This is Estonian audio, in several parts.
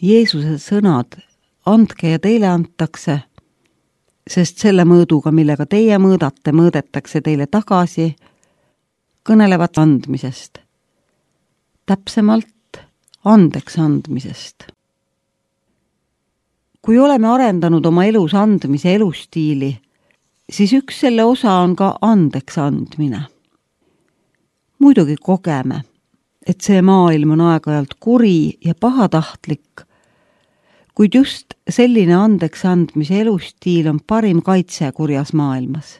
Jeesuse sõnad, andke ja teile antakse, sest selle mõõduga, millega teie mõõdate, mõõdetakse teile tagasi, kõnelevad andmisest. Täpsemalt andeks andmisest. Kui oleme arendanud oma elus andmise elustiili, siis üks selle osa on ka andeks andmine. Muidugi kogeme, et see maailm on aeg-ajalt kuri ja pahatahtlik, kuid just selline andeks andmise elustiil on parim kaitse kurjas maailmas.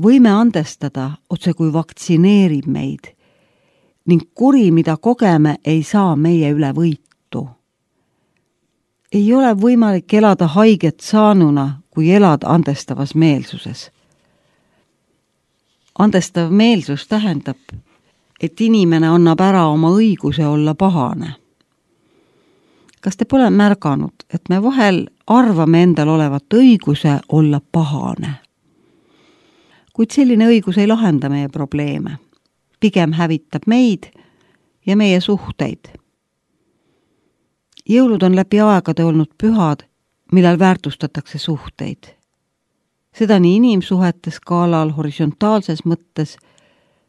Võime andestada otse kui vaktsineerib meid ning kuri, mida kogeme, ei saa meie üle võitu. Ei ole võimalik elada haiget saanuna, kui elad andestavas meelsuses. Andestav meelsus tähendab, et inimene annab ära oma õiguse olla pahane. Kas te pole märganud, et me vahel arvame endal olevat õiguse olla pahane? Kuid selline õigus ei lahenda meie probleeme. Pigem hävitab meid ja meie suhteid. Jõulud on läbi aegade olnud pühad, millal väärtustatakse suhteid. Seda nii inimsuhete skaalal horisontaalses mõttes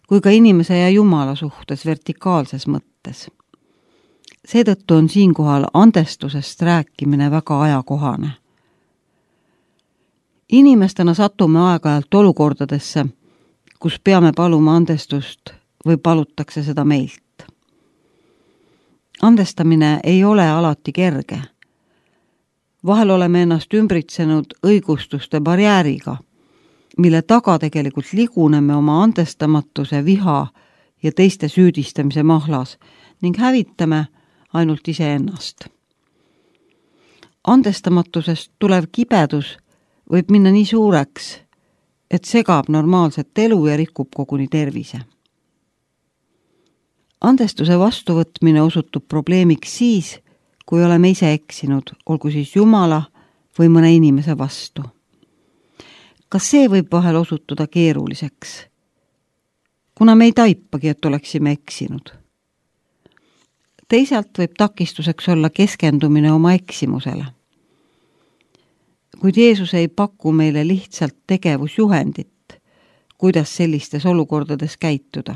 kui ka inimese ja Jumala suhtes vertikaalses mõttes. Seetõttu on siinkohal andestusest rääkimine väga ajakohane. Inimestena satume aeg-ajalt olukordadesse, kus peame paluma andestust või palutakse seda meilt. Andestamine ei ole alati kerge. Vahel oleme ennast ümbritsenud õigustuste barjääriga, mille taga tegelikult liguneme oma andestamatuse, viha ja teiste süüdistamise mahlas ning hävitame ainult iseennast. Andestamatusest tulev kibedus võib minna nii suureks, et segab normaalset elu ja rikub koguni tervise. Andestuse vastuvõtmine osutub probleemiks siis, kui oleme ise eksinud, olgu siis Jumala või mõne inimese vastu. Kas see võib vahel osutuda keeruliseks? Kuna me ei taipagi, et oleksime eksinud. Teisalt võib takistuseks olla keskendumine oma eksimusele. Kuid Jeesus ei paku meile lihtsalt tegevusjuhendit, kuidas sellistes olukordades käituda.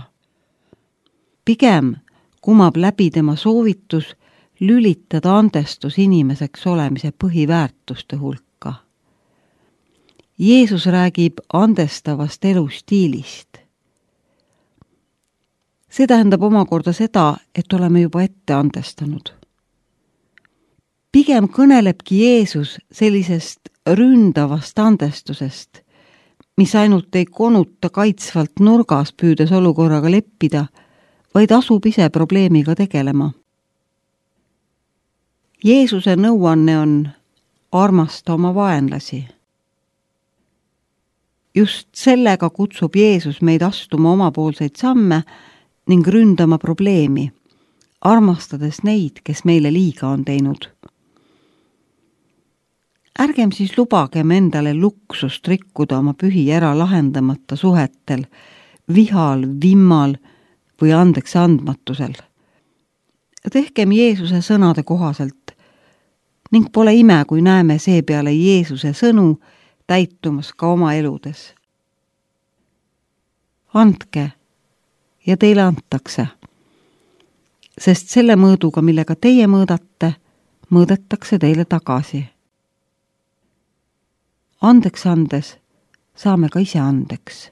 Pigem kumab läbi tema soovitus lülitada andestus inimeseks olemise põhiväärtuste hulka. Jeesus räägib andestavast elustiilist. See tähendab omakorda seda, et oleme juba ette andestanud. Pigem kõnelebki Jeesus sellisest ründavast andestusest, mis ainult ei konuta kaitsvalt nurgas püüdes olukorraga leppida, vaid asub ise probleemiga tegelema. Jeesuse nõuanne on armasta oma vaenlasi. Just sellega kutsub Jeesus meid astuma omapoolseid samme ning ründama probleemi, armastades neid, kes meile liiga on teinud. Ärgem siis lubagem endale luksust rikkuda oma pühi ära lahendamata suhetel, vihal, vimmal või andeks andmatusel. Tehkem Jeesuse sõnade kohaselt ning pole ime, kui näeme seepeale Jeesuse sõnu täitumas ka oma eludes. Andke ja teile antakse, sest selle mõõduga, millega teie mõõdate, mõõdetakse teile tagasi. Andeks andes saame ka ise andeks.